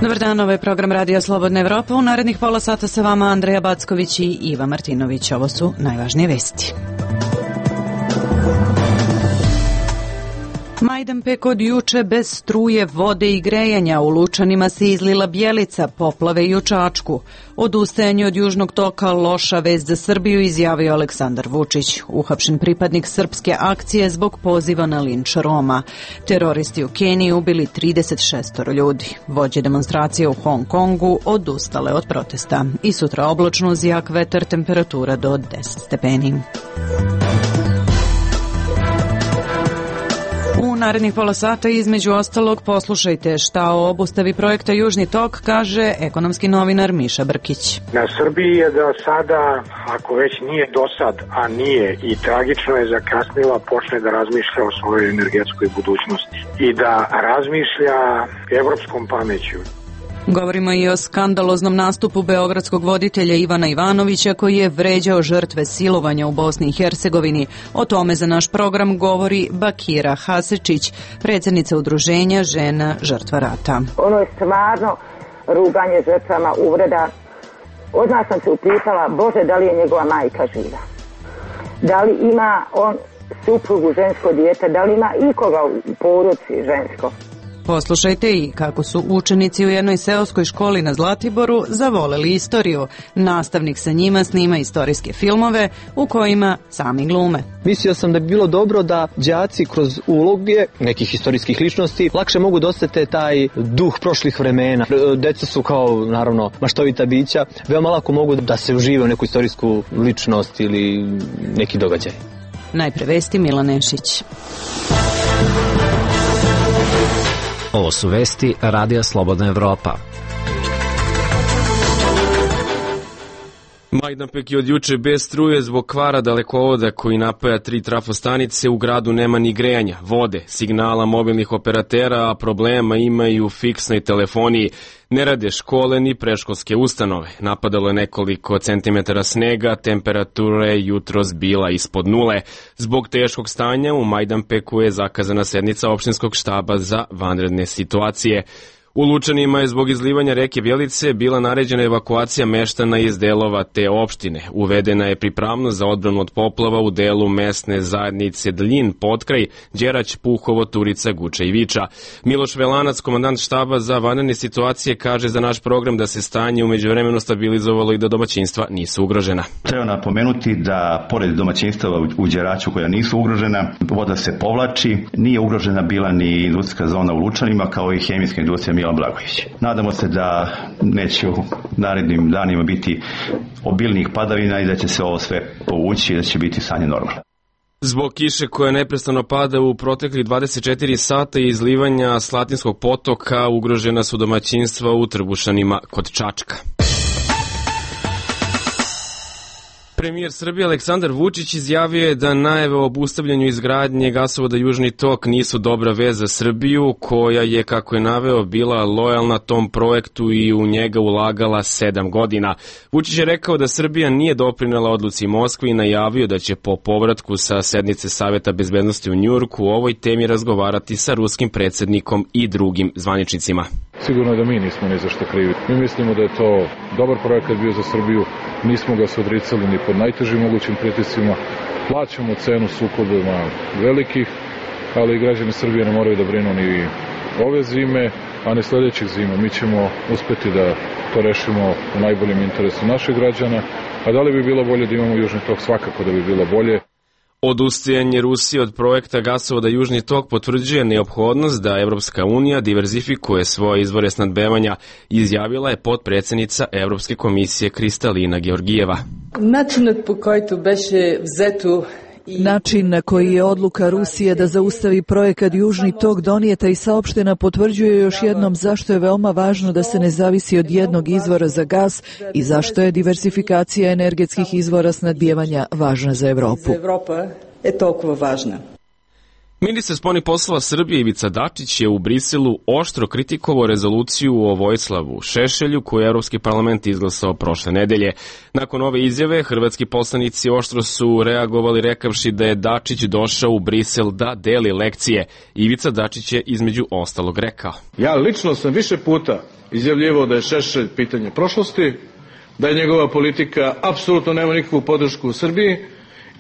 Dobar dan, ovo je program Radija Slobodna Evropa. U narednih pola sata sa vama Andreja Backović i Iva Martinović. Ovo su najvažnije vesti. Majdanpek od juče bez struje, vode i grejanja. U Lučanima se izlila Bjelica, poplave i u Čačku. Odustajanje od južnog toka loša vest za Srbiju, izjavio Aleksandar Vučić. Uhapšen pripadnik srpske akcije zbog poziva na linč Roma. Teroristi u Keniji ubili 36 ljudi. Vođe demonstracije u Hong Kongu odustale od protesta. I sutra oblačno uz jak vetar, temperatura do 10 stepeni. U narednih pola sata između ostalog poslušajte šta o obustavi projekta Južni tok kaže ekonomski novinar Miša Brkić. Na Srbiji je da sada, ako već nije dosad, a nije i tragično je zakasnila, počne da razmišlja o svojoj energetskoj budućnosti i da razmišlja evropskom pameću. Govorimo i o skandaloznom nastupu beogradskog voditelja Ivana Ivanovića koji je vređao žrtve silovanja u Bosni i Hercegovini. O tome za naš program govori Bakira Hasečić, predsjednica udruženja Žena žrtva rata. Ono je stvarno ruganje žrtvama, uvreda. Odmah sam se upitala, Bože, da li je njegova majka živa? Da li ima on suprugu, žensko dijete? Da li ima ikoga u porodici žensko? Poslušajte i kako su učenici u jednoj seoskoj školi na Zlatiboru zavoleli istoriju. Nastavnik sa njima snima istorijske filmove u kojima sami glume. Mislio sam da bi bilo dobro da đaci kroz uloge nekih istorijskih ličnosti lakše mogu dostati taj duh prošlih vremena. Deca su kao, naravno, maštovita bića, veoma lako mogu da se užive u neku istorijsku ličnost ili neki događaj. Najpre vesti, Milan Nešić. Ovo su vesti Radija Slobodna Evropa. Majdanpek je od juče bez struje zbog kvara dalekovoda koji napaja 3 trafostanice. U gradu nema ni grejanja, vode, signala mobilnih operatera, a problema ima i u fiksnoj telefoniji. Ne rade škole ni predškolske ustanove. Napadalo je nekoliko centimetara snega, temperatura je jutros bila ispod nule. Zbog teškog stanja u Majdanpeku je zakazana sednica opštinskog štaba za vanredne situacije. U Lučanima je zbog izlivanja reke Bjelice bila naređena evakuacija meštana iz delova te opštine. Uvedena je pripravnost za odbranu od poplava u delu mesne zajednice Dljin, Potkraj, Đerać, Puhovo, Turica, Guča i Viča. Miloš Velanac, komandant štaba za vanredne situacije, kaže za naš program da se stanje u međuvremenu stabilizovalo i da domaćinstva nisu ugrožena. Treba napomenuti da pored domaćinstava u Đeraću koja nisu ugrožena, voda se povlači, nije ugrožena bila ni industrijska zona u Lučanima kao i hemijska industrija Milan Blagojević. Nadamo se da neće u narednim danima biti obilnih padavina i da će se ovo sve povući i da će biti stanje normalno. Zbog kiše koja neprestano pada u proteklih 24 sata i izlivanja Slatinskog potoka ugrožena su domaćinstva u Trbušanima kod Čačka. Premijer Srbije Aleksandar Vučić izjavio je da najave o obustavljanju izgradnje gasovoda Južni tok nisu dobra vest za Srbiju, koja je, kako je naveo, bila lojalna tom projektu i u njega ulagala 7 godina. Vučić je rekao da Srbija nije doprinela odluci Moskve i najavio da će po povratku sa sednice Saveta bezbednosti u Njujorku o ovoj temi razgovarati sa ruskim predsjednikom i drugim zvaničnicima. Sigurno da mi nismo ni za što krivi. Mi mislimo da je to dobar projekat bio za Srbiju, nismo ga se odricali ni pod najtežim mogućim pritiscima, plaćamo cenu sukobima velikih, ali građani Srbije ne moraju da brinu ni ove zime, a ni sledećih zima. Mi ćemo uspeti da to rešimo u najboljem interesu naših građana, a da li bi bilo bolje da imamo Južni tok? Svakako da bi bilo bolje. Odustajanje Rusije od projekta gasovoda Južni tok potvrđuje neophodnost da Evropska unija diverzifikuje svoje izvore snabdevanja, izjavila je potpredsjednica Evropske komisije Kristalina Georgijeva. Način na koji je odluka Rusije da zaustavi projekat Južni tok donijeta i saopštena potvrđuje još jednom zašto je veoma važno da se ne zavisi od jednog izvora za gas i zašto je diversifikacija energetskih izvora snabdijevanja važna za Evropu. Ministar spoljnih poslova Srbije Ivica Dačić je u Briselu oštro kritikovao rezoluciju o Vojislavu Šešelju koju je Evropski parlament izglasao prošle nedelje. Nakon ove izjave, hrvatski poslanici oštro su reagovali rekavši da je Dačić došao u Brisel da deli lekcije. Ivica Dačić je između ostalog rekao: Ja lično sam više puta izjavljivao da je Šešelj pitanje prošlosti, da je njegova politika apsolutno nema nikakvu podršku u Srbiji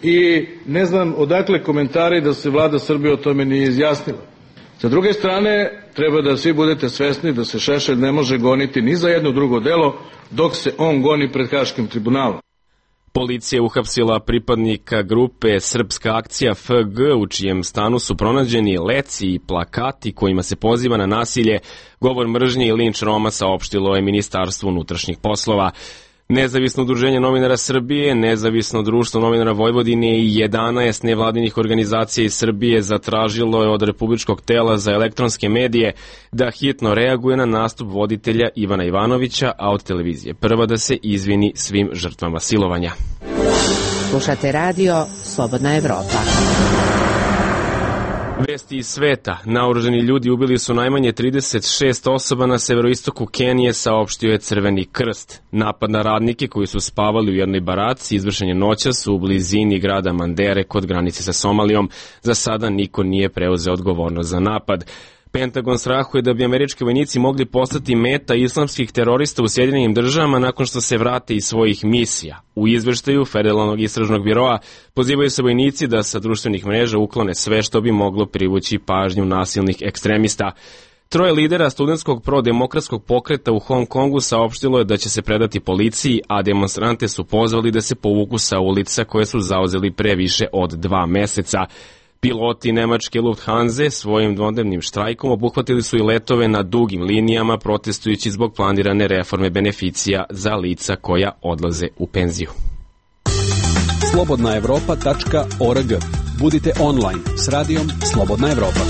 i ne znam odakle komentari da se vlada Srbije o tome nije izjasnila. Sa druge strane, treba da svi budete svesni da se Šešelj ne može goniti ni za jedno drugo delo dok se on goni pred Haškim tribunalom. Policija je uhapsila pripadnika grupe Srpska akcija FG u čijem stanu su pronađeni leci i plakati kojima se poziva na nasilje, govor mržnje i linč Roma, saopštilo je Ministarstvo unutrašnjih poslova. Nezavisno udruženje novinara Srbije, Nezavisno društvo novinara Vojvodine i 11 nevladinih organizacija iz Srbije zatražilo je od Republičkog tela za elektronske medije da hitno reaguje na nastup voditelja Ivana Ivanovića, a od televizije Prva da se izvini svim žrtvama silovanja. Slušate radio Slobodna Evropa. Vesti iz sveta. Naoružani ljudi ubili su najmanje 36 osoba na severoistoku Kenije, saopštio je Crveni krst. Napad na radnike koji su spavali u jednoj baraci izvršen je noćas u blizini grada Mandere kod granice sa Somalijom. Za sada niko nije preuzeo odgovornost za napad. Pentagon strahuje da bi američki vojnici mogli postati meta islamskih terorista u Sjedinjenim državama nakon što se vrate iz svojih misija. U izveštaju Federalnog istražnog biroa pozivaju se vojnici da sa društvenih mreža uklone sve što bi moglo privući pažnju nasilnih ekstremista. Troje lidera studentskog prodemokratskog pokreta u Hong Kongu saopštilo je da će se predati policiji, a demonstrante su pozvali da se povuku sa ulica koje su zauzeli pre više od 2 meseca. Piloti nemačke Lufthansa svojim dvodnevnim štrajkom obuhvatili su i letove na dugim linijama protestujući zbog planirane reforme beneficija za lica koja odlaze u penziju. slobodnaevropa.org. Budite online s radijom Slobodna Evropa.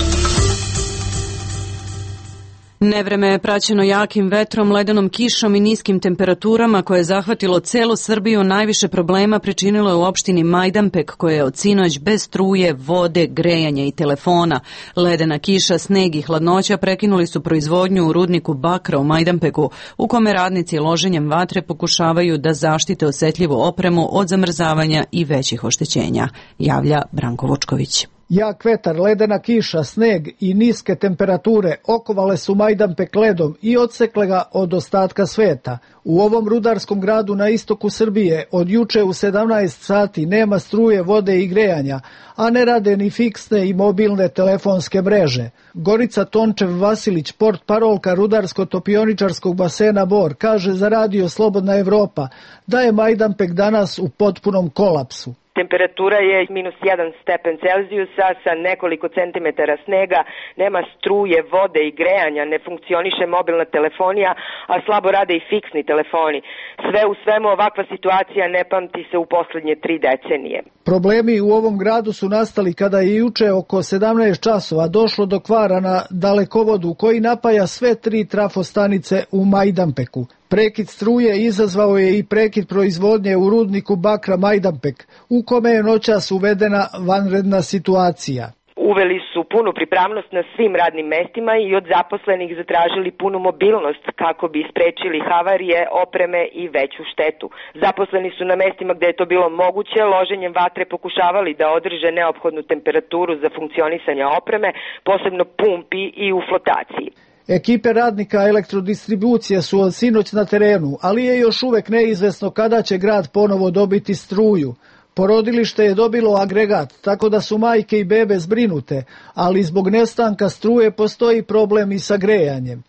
Nevreme je praćeno jakim vetrom, ledenom kišom i niskim temperaturama koje je zahvatilo celu Srbiju. Najviše problema pričinilo je u opštini Majdanpek koja je od sinoć bez struje, vode, grejanja i telefona. Ledena kiša, sneg i hladnoća prekinuli su proizvodnju u rudniku bakra u Majdanpeku, u kome radnici loženjem vatre pokušavaju da zaštite osetljivu opremu od zamrzavanja i većih oštećenja, javlja Branko Vučković. Jak vetar, ledena kiša, sneg i niske temperature okovale su Majdanpek ledom i odsekle ga od ostatka sveta. U ovom rudarskom gradu na istoku Srbije od juče u 17 sati nema struje, vode i grejanja, a ne rade ni fiksne i mobilne telefonske mreže. Gorica Tončev-Vasilić, portparolka rudarsko-topioničarskog basena Bor, kaže za radio Slobodna Evropa da je Majdanpek danas u potpunom kolapsu. Temperatura je -1 stepen Celzijusa sa nekoliko centimetara snega, nema struje, vode i grejanja, ne funkcioniše mobilna telefonija, a slabo rade i fiksni telefoni. Sve u svemu ovakva situacija ne pamti se u poslednje 3 decenije. Problemi u ovom gradu su nastali kada je juče oko 17 časova došlo do kvara na dalekovodu koji napaja sve 3 trafostanice u Majdanpeku. Prekid struje izazvao je i prekid proizvodnje u rudniku bakra Majdanpek, u kome je noćas uvedena vanredna situacija. Uveli su punu pripravnost na svim radnim mestima i od zaposlenih zatražili punu mobilnost kako bi sprečili havarije, opreme i veću štetu. Zaposleni su na mestima gde je to bilo moguće loženjem vatre pokušavali da održe neophodnu temperaturu za funkcionisanje opreme, posebno pumpi i u flotaciji. Ekipe radnika elektrodistribucije su od sinoć na terenu, ali je još uvek neizvesno kada će grad ponovo dobiti struju. Porodilište je dobilo agregat, tako da su majke i bebe zbrinute, ali zbog nestanka struje postoji problem i sa grejanjem.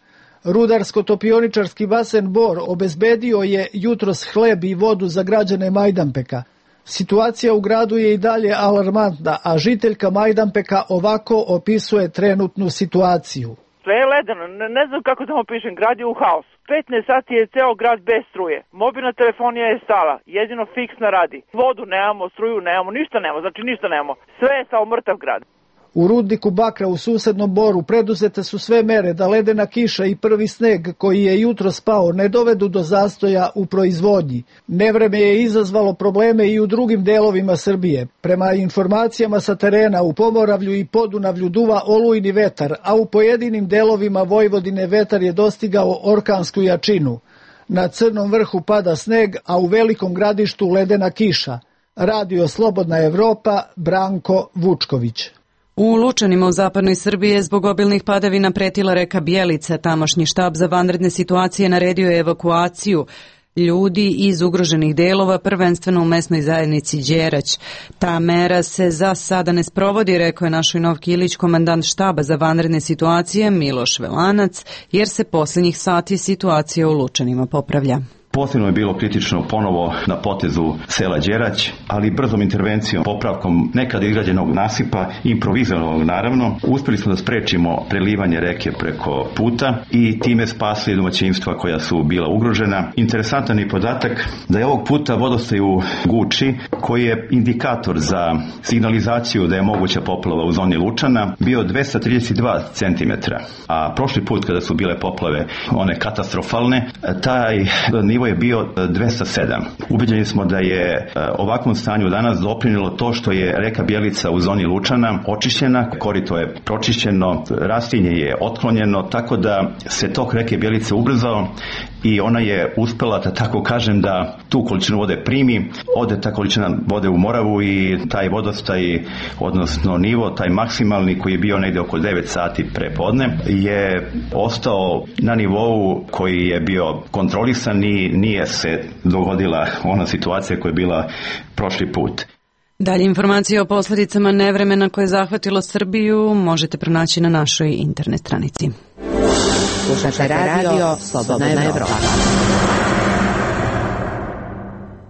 Rudarsko-topioničarski basen Bor obezbedio je jutros hleb i vodu za građane Majdanpeka. Situacija u gradu je i dalje alarmantna, a žiteljka Majdanpeka ovako opisuje trenutnu situaciju. Sve je ledeno, ne znam kako da vam pišem, grad je u haosu. 15 sati je ceo grad bez struje. Mobilna telefonija je stala, jedino fiksna radi. Vodu nemamo, struju nemamo, ništa nemamo, znači ništa nemamo. Sve je samo mrtav grad. U rudniku bakra u susednom Boru preduzete su sve mere da ledena kiša i prvi sneg koji je jutro spao ne dovedu do zastoja u proizvodnji. Nevreme je izazvalo probleme i u drugim delovima Srbije. Prema informacijama sa terena u Pomoravlju i Podunavlju duva olujni vetar, a u pojedinim delovima Vojvodine vetar je dostigao orkansku jačinu. Na Crnom vrhu pada sneg, a u Velikom Gradištu ledena kiša. Radio Slobodna Evropa, Branko Vučković. U Lučanima u zapadnoj Srbiji je zbog obilnih padavina pretila reka Bjelica. Tamošnji štab za vanredne situacije naredio je evakuaciju ljudi iz ugroženih delova, prvenstveno u mesnoj zajednici Đerać. Ta mera se za sada ne sprovodi, rekao je našoj Novki Ilić, komandant štaba za vanredne situacije Miloš Velanac, jer se posljednjih sati situacija u Lučanima popravlja. Posebno je bilo kritično ponovo na potezu sela Đerać, ali brzom intervencijom, popravkom nekada izgrađenog nasipa, improvizovanog naravno, uspjeli smo da sprečimo prelivanje reke preko puta i time spasili domaćinstva koja su bila ugrožena. Interesantan je podatak da je ovog puta vodostaj u Guči, koji je indikator za signalizaciju da je moguća poplava u zoni Lučana, bio 232 cm, a prošli put kada su bile poplave, one katastrofalne, taj nivo je bio 207. Ubeđeni smo da je ovakvom stanju danas doprinilo to što je reka Bjelica u zoni Lučana očišćena, korito je pročišćeno, rastinje je otklonjeno, tako da se tok reke Bjelice ubrzao i ona je uspela, da tako kažem, da tu količinu vode primi. Ode ta količina vode u Moravu i taj vodostaj, odnosno nivo, taj maksimalni koji je bio negde oko 9 sati pre podne, je ostao na nivou koji je bio kontrolisan i nije se dogodila ona situacija koja je bila prošli put. Dalje informacije o posljedicama nevremena koje je zahvatilo Srbiju možete pronaći na našoj internet stranici. Slušate radio Slobodna Evropa.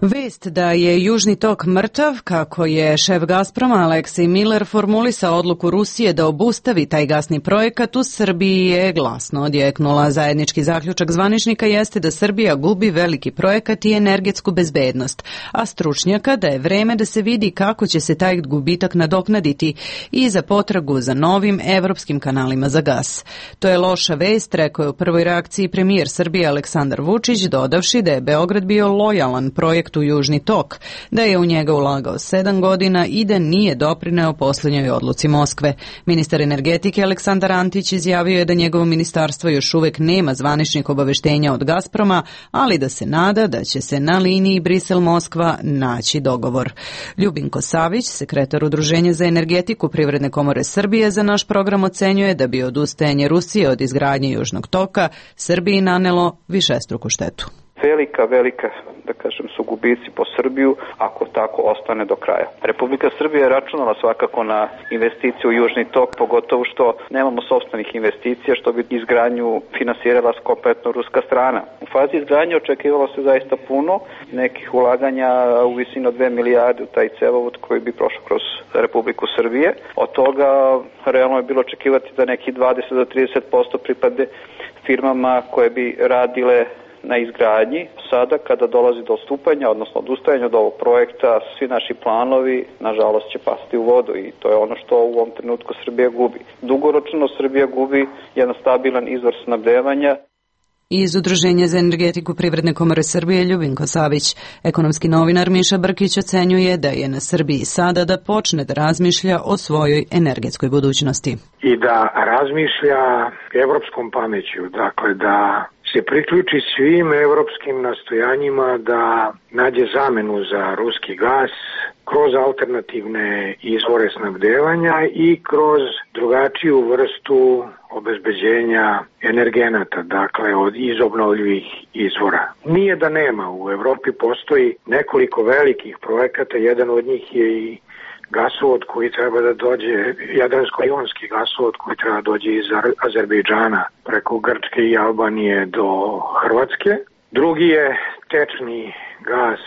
Vest da je Južni tok mrtav, kako je šef Gazproma Aleksej Miller formulisao odluku Rusije da obustavi taj gasni projekat u Srbiji, je glasno odjeknula. Zajednički zaključak zvaničnika jeste da Srbija gubi veliki projekat i energetsku bezbednost, a stručnjaka da je vreme da se vidi kako će se taj gubitak nadoknaditi i za potragu za novim evropskim kanalima za gas. To je loša vest, rekao je u prvoj reakciji premijer Srbije Aleksandar Vučić, dodavši da je Beograd bio lojalan projektu u Južni tok, da je u njega ulagao 7 godina i da nije doprineo posljednjoj odluci Moskve. Ministar energetike Aleksandar Antić izjavio je da njegovo ministarstvo još uvek nema zvaničnih obaveštenja od Gazproma, ali da se nada da će se na liniji Brisel-Moskva naći dogovor. Ljubinko Savić, sekretar Udruženja za energetiku Privredne komore Srbije, za naš program ocenjuje da bi odustajanje Rusije od izgradnje Južnog toka Srbiji nanelo višestruku štetu. Velika, da kažem, su gubici po Srbiju ako tako ostane do kraja. Republika Srbija je računala svakako na investiciju u Južni tok, pogotovo što nemamo sopstvenih investicija, što bi izgradnju finansirala kompletno ruska strana. U fazi izgradnje očekivalo se zaista puno nekih ulaganja u visinu 2 milijarde u taj cevovod koji bi prošao kroz Republiku Srbije. Od toga realno je bilo očekivati da neki 20 do 30% pripade firmama koje bi radile na izgradnji. Sada kada dolazi do odstupanja, odnosno odustajanja od ovog projekta, svi naši planovi nažalost će pasti u vodu i to je ono što u ovom trenutku Srbija gubi. Dugoročno Srbija gubi jedan stabilan izvor snabdevanja. Iz Udruženja za energetiku Privredne komore Srbije Ljubinko Savić. Ekonomski novinar Miša Brkić ocenjuje da je na Srbiji sada da počne da razmišlja o svojoj energetskoj budućnosti. I da razmišlja evropskom pameću, dakle da se priključi svim evropskim nastojanjima da nađe zamenu za ruski gas kroz alternativne izvore snabdevanja i kroz drugačiju vrstu obezbeđenja energenata, dakle iz obnovljivih izvora. Nije da nema, u Evropi postoji nekoliko velikih projekata, jedan od njih je i gasovod koji treba da dođe, jadransko-jonski gasovod koji treba da dođe iz Azerbejdžana preko Grčke i Albanije do Hrvatske. Drugi je tečni gas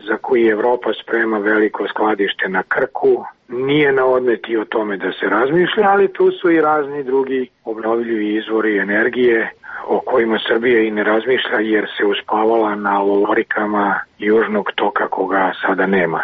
za koji Evropa sprema veliko skladište na Krku. Nije na odmet i o tome da se razmišlja, ali tu su i razni drugi obnovljivi izvori energije o kojima Srbija i ne razmišlja jer se uspavala na lorikama Južnog toka koga sada nema.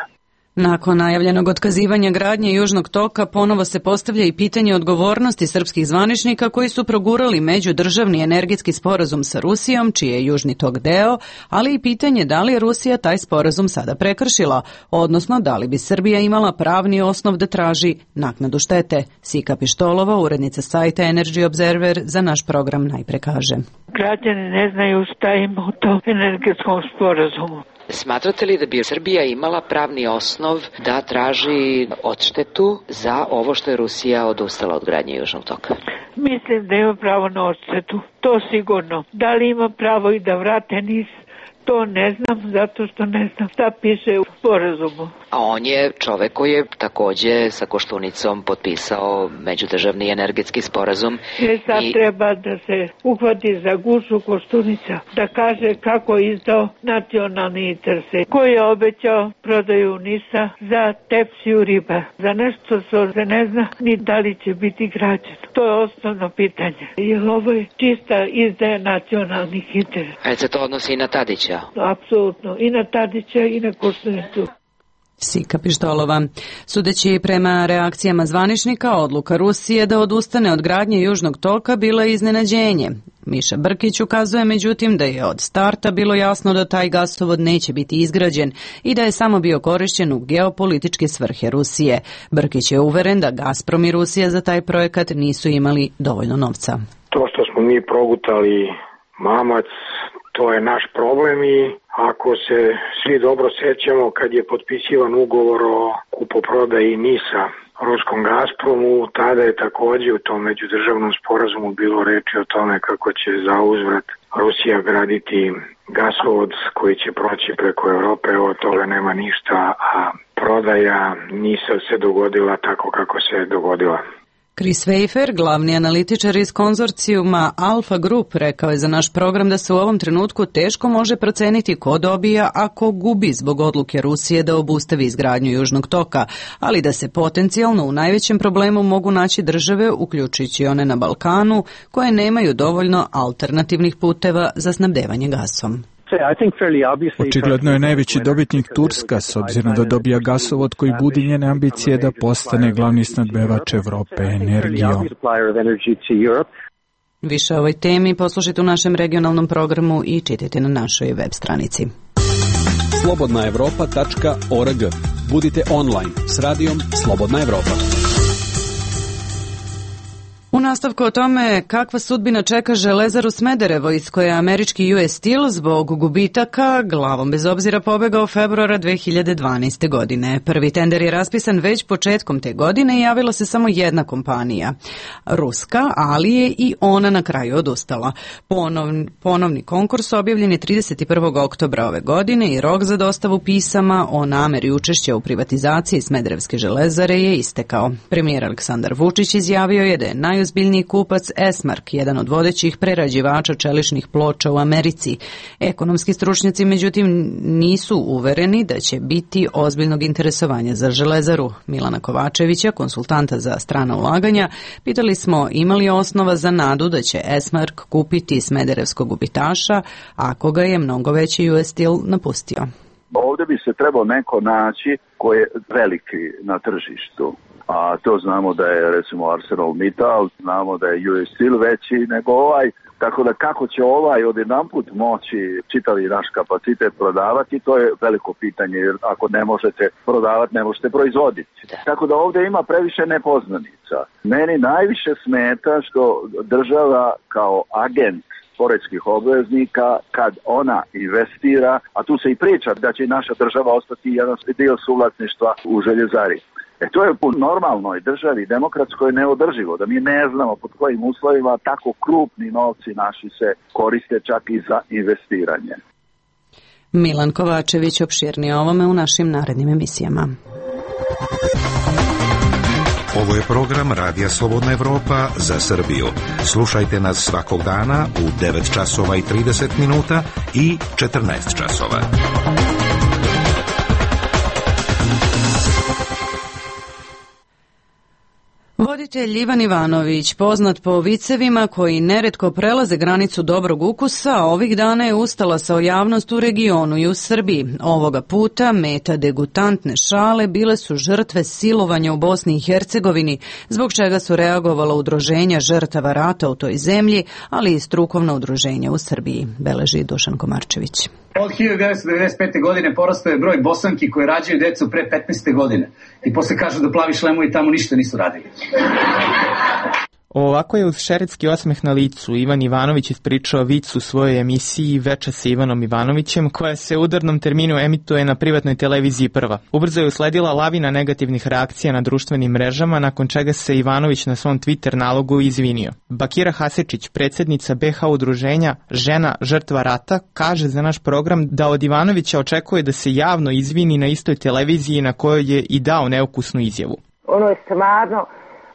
Nakon najavljenog otkazivanja gradnje Južnog toka ponovo se postavlja i pitanje odgovornosti srpskih zvaničnika koji su progurali međudržavni energetski sporazum sa Rusijom, čiji je Južni tok deo, ali i pitanje da li je Rusija taj sporazum sada prekršila, odnosno da li bi Srbija imala pravni osnov da traži naknadu štete. Sika Pištolova, urednica sajta Energy Observer, za naš program najpre kaže. Građani ne znaju šta ima u tom energetskom sporazumu. Smatrate li da bi Srbija imala pravni osnov da traži odštetu za ovo što je Rusija odustala od gradnje Južnog toka? Mislim da ima pravo na odštetu, to sigurno. Da li ima pravo i da vrate NIS? To ne znam, zato što ne znam šta piše u sporazumu. A on je čovek koji je takođe sa Koštunicom potpisao međudržavni energetski sporazum. Sad treba da se uhvati za gušu Koštunica, da kaže kako je izdao nacionalni interese, koji je obećao prodaju NIS-a za tepsiju riba. Za nešto se ne zna ni da li će biti građeno. To je osnovno pitanje. Jer ovo je čista izdaja nacionalnih interesa. A se to odnosi i na Tadića? Apsolutno, i na Tadića i na Koštunicu. Sika Pištolova. Sudeći prema reakcijama zvaničnika, odluka Rusije da odustane od gradnje Južnog toka bila je iznenađenje. Miša Brkić ukazuje međutim da je od starta bilo jasno da taj gasovod neće biti izgrađen i da je samo bio korišćen u geopolitičke svrhe Rusije. Brkić je uveren da Gazprom i Rusija za taj projekat nisu imali dovoljno novca. To što smo mi progutali mamac, to je naš problem i ako se svi dobro sjećamo kad je potpisivan ugovor o kupoprodaji NIS-a ruskom Gazpromu, tada je također u tom međudržavnom sporazumu bilo reči o tome kako će za uzvrat Rusija graditi gasovod koji će proći preko Europe, od toga nema ništa, a prodaja NIS-a se dogodila tako kako se dogodila. Chris Weifer, glavni analitičar iz konzorcijuma Alfa Group, rekao je za naš program da se u ovom trenutku teško može proceniti ko dobija, a ko gubi zbog odluke Rusije da obustavi izgradnju Južnog toka, ali da se potencijalno u najvećem problemu mogu naći države, uključujući one na Balkanu, koje nemaju dovoljno alternativnih puteva za snabdevanje gasom. Očigledno je najveći dobitnik Turska, s obzirom da dobija gasovod koji budi njene ambicije da postane glavni snabdevač Evrope energijom. Više o ovoj temi poslušajte u našem regionalnom programu i čitajte na našoj web stranici. slobodnaevropa.org. Budite online s radijom Slobodna Evropa. U nastavku o tome kakva sudbina čeka Železaru Smederevo, iz koje je američki US Steel zbog gubitaka glavom bez obzira pobegao februara 2012. godine. Prvi tender je raspisan već početkom te godine i javila se samo jedna kompanija, ruska, ali je i ona na kraju odustala. Ponovni konkurs objavljen je 31. oktobra ove godine i rok za dostavu pisama o nameri učešća u privatizaciji Smederevske železare je istekao. Premijer Aleksandar Vučić izjavio je da je najozbiljniji kupac Esmark, jedan od vodećih prerađivača čeličnih ploča u Americi. Ekonomski stručnjaci međutim nisu uvereni da će biti ozbiljnog interesovanja za železaru. Milana Kovačevića, konsultanta za strana ulaganja, pitali smo ima li osnova za nadu da će Esmark kupiti Smederevskog gubitaša ako ga je mnogo veći US Steel napustio. Ovdje bi se trebao neko naći koji je veliki na tržištu. A to znamo da je recimo ArcelorMittal, znamo da je US Steel veći nego ovaj, tako da kako će ovaj odjedanput moći čitavi naš kapacitet prodavati, to je veliko pitanje, jer ako ne možete prodavati, ne možete proizvoditi. Tako da ovdje ima previše nepoznanica. Meni najviše smeta što država kao agent poreskih obveznika, kad ona investira, a tu se i priča da će naša država ostati jedan dio suvlasništva u željezari. To je u normalnoj državi, demokratskoj, neodrživo, da mi ne znamo pod kojim uslovima tako krupni novci naši se koriste čak i za investiranje. Milan Kovačević opširnije o ovome u našim narednim emisijama. Ovo je program Radija Slobodna Evropa za Srbiju. Slušajte nas svakog dana u 9 časova i 30 minuta i 14 časova. Voditelj Ivan Ivanović, poznat po vicevima koji neretko prelaze granicu dobrog ukusa, ovih dana je ustalasao javnost u regionu i u Srbiji. Ovoga puta meta degutantne šale bile su žrtve silovanja u Bosni i Hercegovini, zbog čega su reagovala udruženja žrtava rata u toj zemlji, ali i strukovna udruženja u Srbiji, beleži Dušan Komarčević. Od 1995. godine porastao je broj Bosanki koje rađaju decu pre 15. godine. I posle kažu da plavi šlemovi tamo ništa nisu radili. Ovako je uz šeretski osmeh na licu Ivan Ivanović ispričao vic u svojoj emisiji Veča sa Ivanom Ivanovićem, koja se u udarnom terminu emituje na privatnoj televiziji Prva. Ubrzo je usledila lavina negativnih reakcija na društvenim mrežama, nakon čega se Ivanović na svom Twitter nalogu izvinio. Bakira Hasečić, predsjednica BH udruženja Žena žrtva rata, kaže za naš program da od Ivanovića očekuje da se javno izvini na istoj televiziji na kojoj je i dao neukusnu izjavu. Ono je stvarno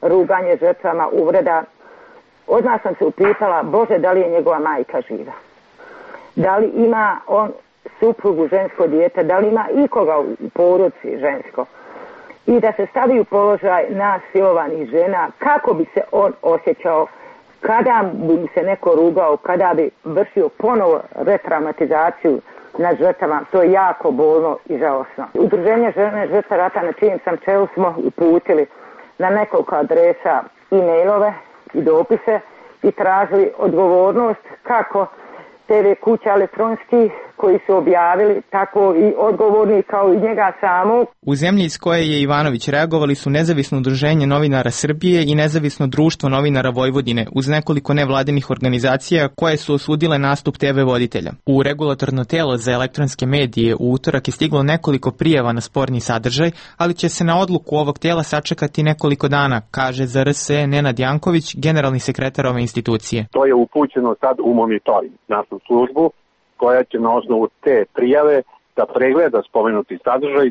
ruganje žrtvama, uvreda. Odmah sam se upitala, Bože, da li je njegova majka živa? Da li ima on suprugu, žensko dijete? Da li ima ikoga u porodici žensko? I da se stavi u položaj nas silovanih žena, kako bi se on osjećao kada bi mu se neko rugao, kada bi vršio ponovo retraumatizaciju nad žrtvama. To je jako bolno i žalosno. Udruženje Žene žrtve rata, na čijem sam čelu, smo uputili na nekoliko adresa e-mailove i dopise i tražili odgovornost kako TV kuća elektronski koji su objavili, tako i odgovorni kao i njega samog. U zemlji iz koje je Ivanović reagovali su Nezavisno udruženje novinara Srbije i Nezavisno društvo novinara Vojvodine, uz nekoliko nevladinih organizacija koje su osudile nastup TV voditelja. U regulatorno telo za elektronske medije u utorak je stiglo nekoliko prijava na sporni sadržaj, ali će se na odluku ovog tela sačekati nekoliko dana, kaže za RSE Nenad Janković, generalni sekretar ove institucije. To je upućeno sad u monitoring, našu službu, koja će na osnovu te prijave da pregleda spomenuti sadržaj,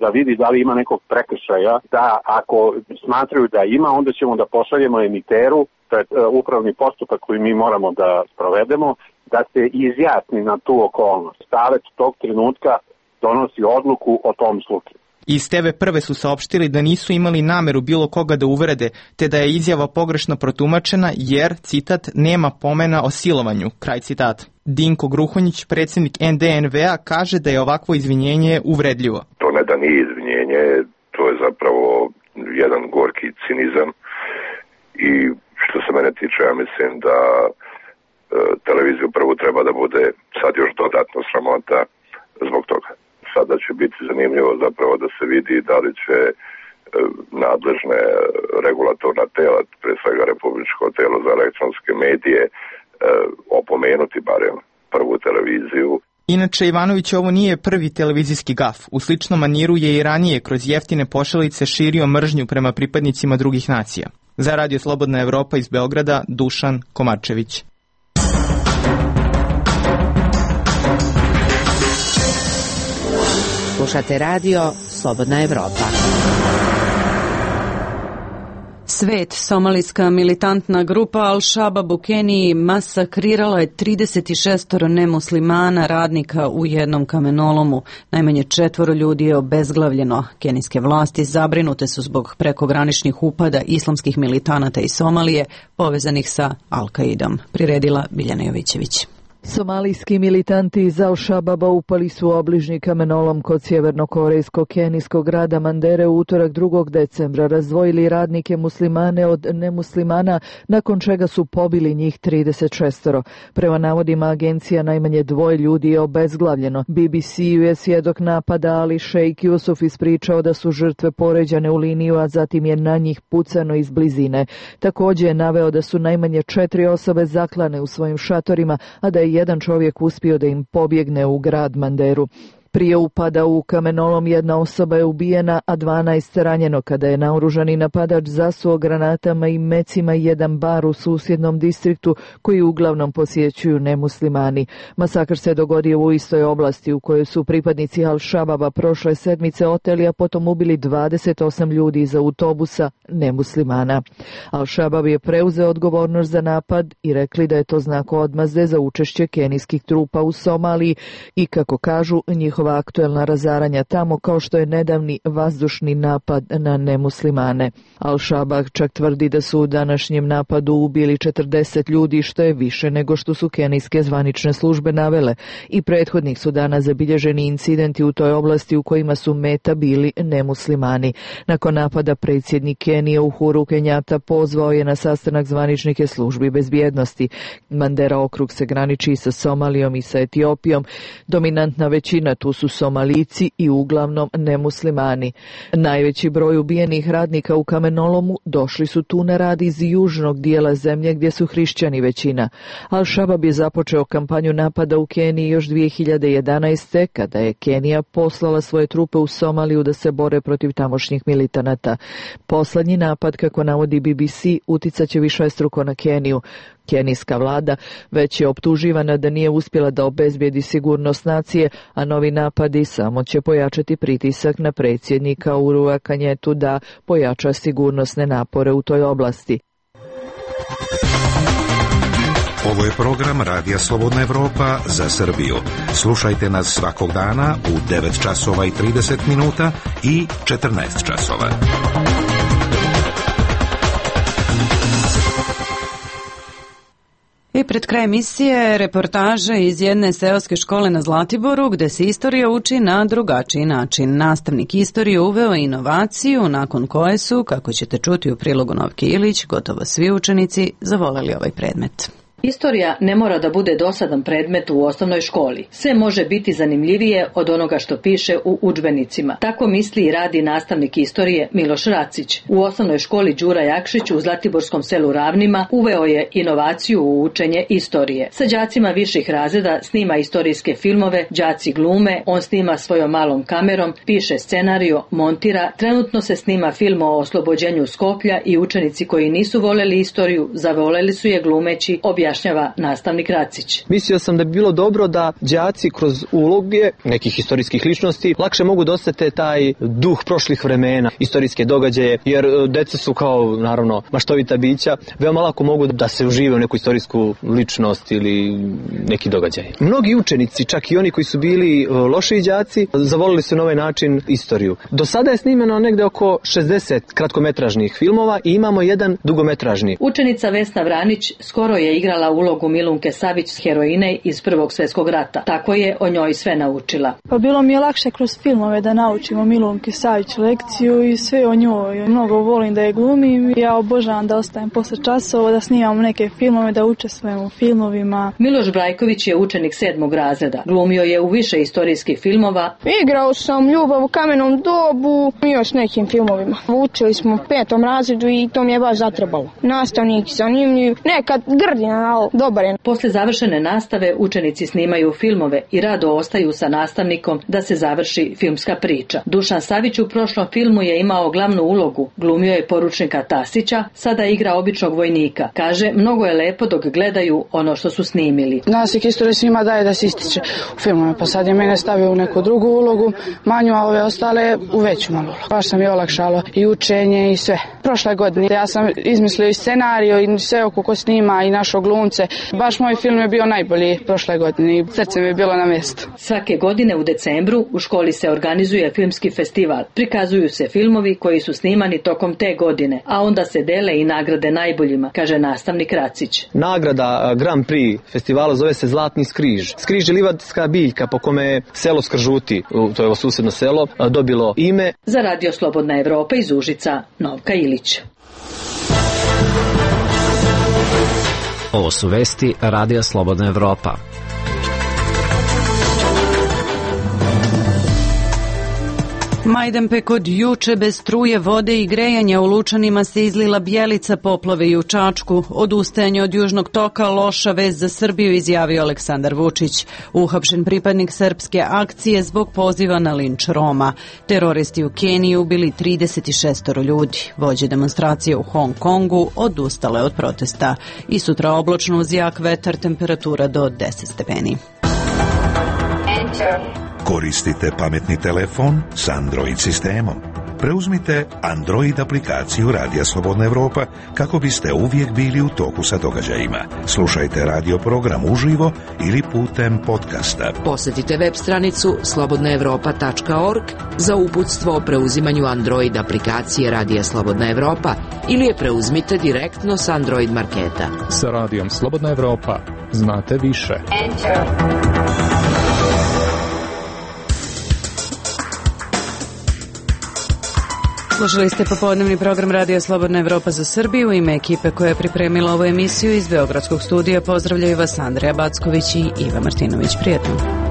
da vidi da li ima nekog prekršaja, da ako smatraju da ima, onda ćemo da pošaljemo emiteru, to je upravni postupak koji mi moramo da sprovedemo, da se izjasni na tu okolnost. Savet tog trenutka donosi odluku o tom slučaju. Iz TV Prve su saopštili da nisu imali nameru bilo koga da uvrede, te da je izjava pogrešno protumačena jer, citat, nema pomena o silovanju, kraj citata. Dinko Gruhonjić, predsjednik NDNV-a, kaže da je ovakvo izvinjenje uvredljivo. To ne da nije izvinjenje, to je zapravo jedan gorki cinizam i što se mene tiče, ja mislim da televiziju Prvu treba da bude sad još dodatno sramota zbog toga. Sada će biti zanimljivo zapravo da se vidi da li će nadležne regulatorna tela, pre svega Republičko telo za elektronske medije, opomenuti barem Prvu televiziju. Inače, Ivanović ovo nije prvi televizijski gaf. U sličnom maniru je i ranije kroz jeftine pošalice širio mržnju prema pripadnicima drugih nacija. Za Radio Slobodna Evropa iz Beograda, Dušan Komarčević. Slušate radio Slobodna Evropa. Svet, somalijska militantna grupa Al-Shabab u Keniji masakrirala je 36 nemuslimana radnika u jednom kamenolomu. Najmanje 4 ljudi je obezglavljeno. Kenijske vlasti zabrinute su zbog prekograničnih upada islamskih militanata iz Somalije povezanih sa Al-Qaidom. Priredila Biljana Jovićević. Somalijski militanti iz Al-Shababa upali su obližnji kamenolom kod sjevernokorejsko-kenijskog grada Mandere u utorak 2. decembra, razdvojili radnike muslimane od nemuslimana, nakon čega su pobili njih 36. Prema navodima agencija, najmanje 2 ljudi je obezglavljeno. BBC-u je svjedok napada Ali Sheikh Yusuf ispričao da su žrtve poređane u liniju, a zatim je na njih pucano iz blizine. Također je naveo da su najmanje 4 osobe zaklane u svojim šatorima, a da je jedan čovjek uspio da im pobjegne u grad Manderu. Prije upada u kamenolom jedna osoba je ubijena, a 12 ranjeno kada je naoružani napadač zasuo granatama i mecima jedan bar u susjednom distriktu koji uglavnom posjećuju nemuslimani. Masakr se dogodio u istoj oblasti u kojoj su pripadnici Al-Shababa prošle sedmice oteli, a potom ubili 28 ljudi iz autobusa nemuslimana. Al-Shabab je preuzeo odgovornost za napad i rekli da je to znak odmazde za učešće kenijskih trupa u Somaliji i, kako kažu, njihova aktuelna razaranja tamo, kao što je nedavni vazdušni napad na nemuslimane. Al-Shabab čak tvrdi da su u današnjem napadu ubili 40 ljudi, što je više nego što su kenijske zvanične službe navele. I prethodnih su dana zabilježeni incidenti u toj oblasti u kojima su meta bili nemuslimani. Nakon napada predsjednik Kenije Uhuru Kenjata pozvao je na sastanak zvaničnike službi bezbjednosti. Mandera okrug se graniči sa Somalijom i sa Etiopijom. Dominantna većina tu su Somalijci i uglavnom nemuslimani. Najveći broj ubijenih radnika u kamenolomu došli su tu na rad iz južnog dijela zemlje gdje su hrišćani većina. Al-Shabaab je započeo kampanju napada u Keniji još 2011. kada je Kenija poslala svoje trupe u Somaliju da se bore protiv tamošnjih militanata. Poslednji napad, kako navodi BBC, uticaće višestruko na Keniju. Kenijska vlada već je optuživana da nije uspjela da obezbijedi sigurnost nacije, a novi napadi samo će pojačati pritisak na predsjednika Uhurua Kenjatu da pojača sigurnosne napore u toj oblasti. Ovo je program Radija Slobodna Evropa za Srbiju. Slušajte nas svakog dana u 9 časova i 30 minuta i 14 časova. I pred kraj emisije reportaže iz jedne seoske škole na Zlatiboru gde se istorija uči na drugačiji način. Nastavnik istorije uveo inovaciju nakon koje su, kako ćete čuti u prilogu Novke Ilić, gotovo svi učenici zavoleli ovaj predmet. Istorija ne mora da bude dosadan predmet u osnovnoj školi. Sve može biti zanimljivije od onoga što piše u udžbenicima. Tako misli i radi nastavnik istorije Miloš Racić. U osnovnoj školi Đura Jakšić u zlatiborskom selu Ravnima uveo je inovaciju u učenje istorije. Sa đacima viših razreda snima istorijske filmove, đaci glume, on snima svojom malom kamerom, piše scenariju, montira. Trenutno se snima film o oslobođenju Skoplja i učenici koji nisu voleli istoriju, zavoleli su je glumeći, objašnjava nastavnik Racić. Mislio sam da bi bilo dobro da đaci kroz uloge nekih historijskih ličnosti lakše mogu da osete taj duh prošlih vremena, istorijske događaje, jer deca su kao, naravno, maštovita bića, veoma lako mogu da se užive u neku istorijsku ličnost ili neki događaj. Mnogi učenici, čak i oni koji su bili lošiji đaci, zavolili su na ovaj način istoriju. Do sada je snimeno negde oko 60 kratkometražnih filmova i imamo jedan dugometražni. Učenica Vesna Vranić skoro je igrala ulogu Milunke Savić, heroine iz Prvog svjetskog rata. Tako je o njoj sve naučila. Pa bilo mi je lakše kroz filmove da naučimo Milunke Savić lekciju i sve o njoj. Mnogo volim da je glumim i ja obožavam da ostajem posle časova, da snimam neke filmove, da učestvujem u filmovima. Miloš Brajković je učenik 7. razreda. Glumio je u više istorijskih filmova. Igrao sam Ljubav u kamenom dobu i još nekim filmovima. Učili smo u 5. razredu i to mi je baš zatrebalo. Nastavnik zanimljiv, nekad grdina, ali dobar je. Posle završene nastave učenici snimaju filmove i rado ostaju sa nastavnikom da se završi filmska priča. Dušan Savić u prošlom filmu je imao glavnu ulogu. Glumio je poručnika Tasića, sada igra običnog vojnika. Kaže, mnogo je lepo dok gledaju ono što su snimili. Nastavnik istorije svima daje da se ističe u filmove, pa sad je mene stavio u neku drugu ulogu, manju, a ove ostale u veću malu ulogu. Baš sam je olakšalo i učenje i sve. Prošle godine ja sam izmislio i scenariju i sve oko ko snima i našo glumce. Baš moj film je bio najbolji prošle godine i srce mi je bilo na mjestu. Svake godine u decembru u školi se organizuje filmski festival. Prikazuju se filmovi koji su snimani tokom te godine, a onda se dele i nagrade najboljima, kaže nastavnik Racić. Nagrada Grand Prix festivala zove se Zlatni skriž. Skriž je livadska biljka po kome je selo Skržuti, to je ovo susjedno selo, dobilo ime. Za Radio Slobodna Evropa iz Užica, Novka Ilić. Ovo su vesti Radija Slobodna Evropa. Majdanpek od juče bez struje, vode i grejanja u Lučanima se izlila bijelica, poplave i u Čačku. Odustajanje od južnog toka loša vest za Srbiju, izjavio Aleksandar Vučić. Uhapšen pripadnik srpske akcije zbog poziva na linč Roma. Teroristi u Keniji ubili 36 ljudi. Vođe demonstracije u Hong Kongu odustale od protesta. I sutra oblačno uz jak vetar, temperatura do 10 stepeni. Koristite pametni telefon s Android sistemom. Preuzmite Android aplikaciju Radija Slobodna Evropa kako biste uvijek bili u toku sa događajima. Slušajte radio program uživo ili putem podcasta. Posjetite web stranicu slobodnaevropa.org za uputstvo o preuzimanju Android aplikacije Radija Slobodna Evropa ili je preuzmite direktno s Android marketa. Sa Radijom Slobodna Evropa znate više. Slušali ste popodnevni program Radija Slobodna Evropa za Srbiju. U ime ekipe koja je pripremila ovu emisiju iz Beogradskog studija pozdravljaju vas Andreja Backović i Iva Martinović. Prijetno.